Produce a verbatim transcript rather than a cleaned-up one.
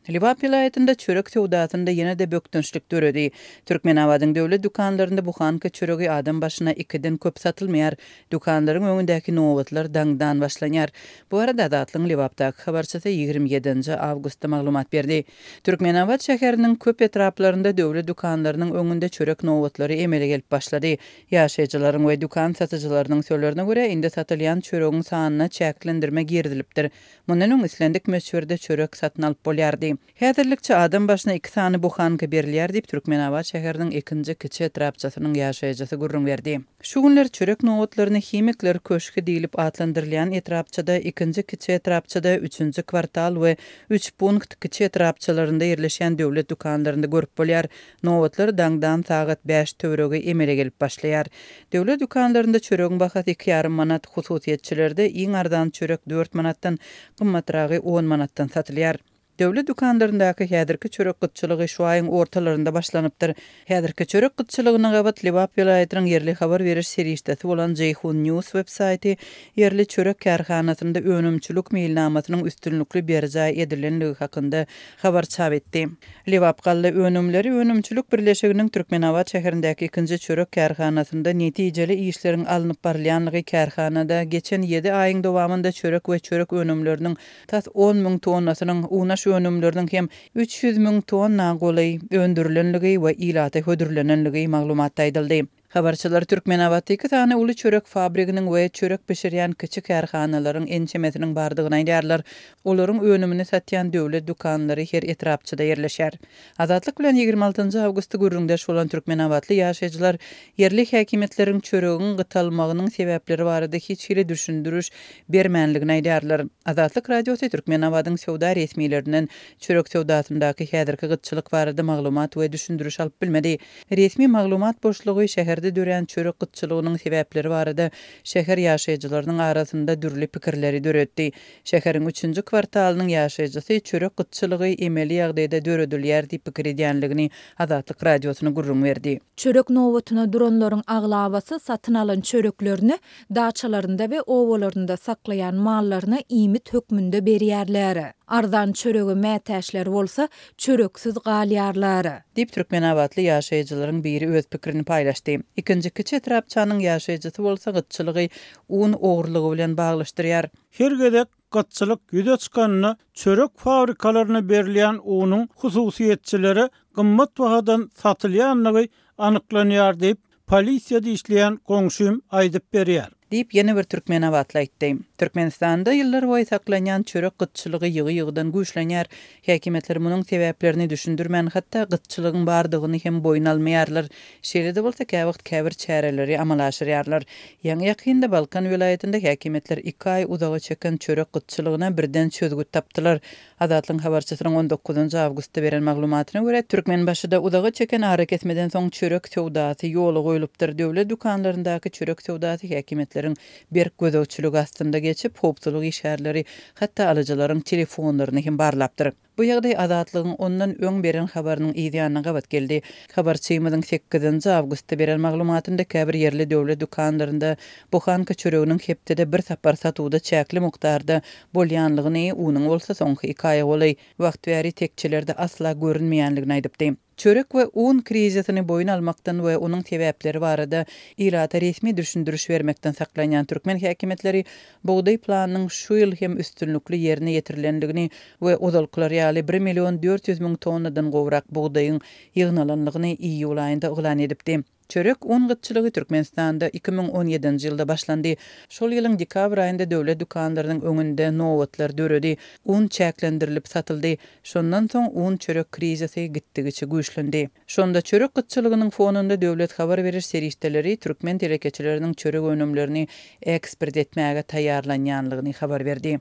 Lebap welaýatynda çörek söwdasynda ýene-de bökdençlik döredi. Türkmenabadyň döwlet dükanlarynda buhanka çöregi adam başyna ikiden köp satylmaýar. Dükanlaryň öňündäki nobatlar daňdan başlanýar. Bu barada Azatlygyň Lebapdaky habarçysy ýigrimi ýedinji awgustda maglumat berdi. Türkmenabat şäheriniň köp etraplarynda döwlet dükanlarynyň öňünde çörek nobatlary emele gelip başlady. Ýaşaýjylaryň we dükan satyjylarynyň sözlerine görä, indi satylýan çöregiň sanyna çäklendirme girizilipdir. Mundan öň islendik möçberde çörek satyn alyp bolýardy. Häzirlikçe adam başyna iki sany buhanka berilýär diýip, Türkmenabat şäheriniň ikinji kiçi etrapçasynyň ýaşaýjysy gürrüň berdi. Şu günler çörek nobatlaryny Himikler köşgi diýlip atlandyrylýan etrapçada, ikinji kiçi etrapçada, üçünji kwartal we üç punkt kiçi etrapçalarynda ýerleşýän döwlet dükanlarynda görüp bolýar. Nobatlar daňdan sagat bäş töweregi emele gelip başlaýar. Döwlet dükanlarynda çöregiň bahasy iki ýarym manat, hususyýetçilerde iň arzan çörek dört manatdan, gymmatragy on manatdan satylýar. Döwlet dükanlaryndaky häzirki çörek gytçylygy şu aýyň ortalarynda başlanypdyr. Häzirki çörek gytçylygyna gabat Lebap welaýatynyň ýerli habar beriş serişdesi bolan Jeýhun News web saýty ýerli çörek kärhanasynda önümçilik meýilnamasynyň üstünlikli berjaý edilenligi hakynda habar çap etdi. Lebap galla önümleri önümçilik birleşiginiň Türkmenabat şäherindäki ikinji çörek kärhanasynda netijeli işleriň alnyp barylýanlygy kärhanada geçen ýedi aýyň dowamynda çörek we çörek önümleriniň tas on müň tonnasynyň, unaş önümleriniň hem üç ýüz müň tonna golaý öndürilenligi we ilata hödürlenenligi maglumatda aýdyldy. Habarçylar Türkmenabatda iki sany uly çörek fabriginiň we çörek bişirýän kiçi kärhanalaryň ençemesiniň bardygyny aýdýarlar. Olaryň önümini satýan döwlet dükanlary her etrapçada ýerleşýär. Azatlyk bilen ýigrimi altynjy awgustda gürrüňdeş bolan türkmenabatly ýaşaýjylar ýerli häkimiýetleriň çöregiň gytalmagynyň sebäpleri barada hiç hili düşündiriş bermänligini aýdýarlar. Azatlyk Radiosy Türkmenabadyň söwda resmilerinden çörek söwdasyndaky häzirki gytçylyk barada maglumat we düşündiriş alyp bilmedi. Resmi maglumat boşlugy şäherde dörän çörek gytçylygynyň sebäpleri barada şäher ýaşaýjylarynyň arasynda dürli pikirleri döretdi. Şäheriň üçünji kwartalynyň ýaşaýjysy çörek gytçylygy emeli ýagdaýda döredilýär diýip pikir edýänligini Azatlyk Radiosyna gürrüň berdi. Çörek nobatyna duranlaryň aglabasy satyn alan çöreklerini daçalarynda we obalarynda saklaýan mallaryna iýmit hökmünde berýärler. Arzan çörege mätäçler bolsa çöreksiz galýarlar. Diýip Türkmenabatly ýaşaýjylaryň biri öz pikirini paýlaşdy. Ikinji kiçi etrapçanyň ýaşaýjysy bolsa gytçylygy un ogurlygy bilen baglaşdyrýar. Her gezek gytçylyk ýüze çykanyna çörek fabrikalaryna berilýän unuň hususyýetçilere gymmat bahadan satylýanlygy anyklanýar diýip, polisiýada işleýän goňşym aýdyp berýär. Diýip ýene bir türkmenabatly aýtdy. Türkmenistanda ýyllar boýy saklanýan çörek gytçylygy ýygy-ýygydan güýçlenýär. Häkimiýetler munuň sebäplerini düşündirmän, hatda gytçylygyň bardygyny hem boýun almaýarlar. Şeýle-de bolsa käwagt käbir çäreleri amala aşyrýarlar. Ýaňy ýakynda Balkan welaýatynda häkimiýetler iki aý uzaga çeken çörek gytçylygyna birden çözgüt tapdylar. Azatlygyň habarçysynyň on dokuzynjy awgustda beren maglumatyna görä, Türkmenbaşyda uzaga çeken arakesmeden soň çörek söwdasy ýola goýlupdyr. Döwlet dükanlaryndaky çörek söwdasy häkimiýetleriň berk gözegçiligi astynda geçip, howpsuzlyk işgärleri hatda alyjylaryň telefonlaryny hem barlapdyr. Bu ýagdaý Azatlygyň ondan öň beren habarynyň yz ýanyna gabat geldi. Habarçymyzyň sekizinji awgustda beren maglumatynda käbir ýerli döwlet dükanlarynda buhanka çöreginiň hepdede bir sapar satuwda çäkli mukdarda bolýanlygyny, unuň bolsa soňky iki aýa golaý wagt bäri tekçelerde asla görünmeýänligini aýdypdy. Çörek we un krizisini boýun almakdan we onuň sebäpleri barada ilata resmi düşündiriş bermekden saklanýan türkmen häkimiýetleri bugdaý planynyň şu ýyl hem üstünlikli ýerine ýetirilenligini we ozalkylar ýaly bir million dört ýüz müň tonnadan gowrak bugdaýyň ýygnalanlygyny iýul aýynda yglan edipdi. Çörek un gytçylygy Türkmenistanda iki müň on ýedinji ýylda başlandy. Şol ýylyň dekabr aýynda döwlet dükanlarynyň öňünde nobatlar döredi, un çäklendirilip satyldy. Şondan soň un çörek krizisi gitdigiçe güýçlendi. Şonda çörek gytçylygynyň fonunda döwlet habar beriş serişdeleri türkmen telekeçileriniň çörek önümlerini eksport etmäge taýýarlanýanlygyny habar berdi.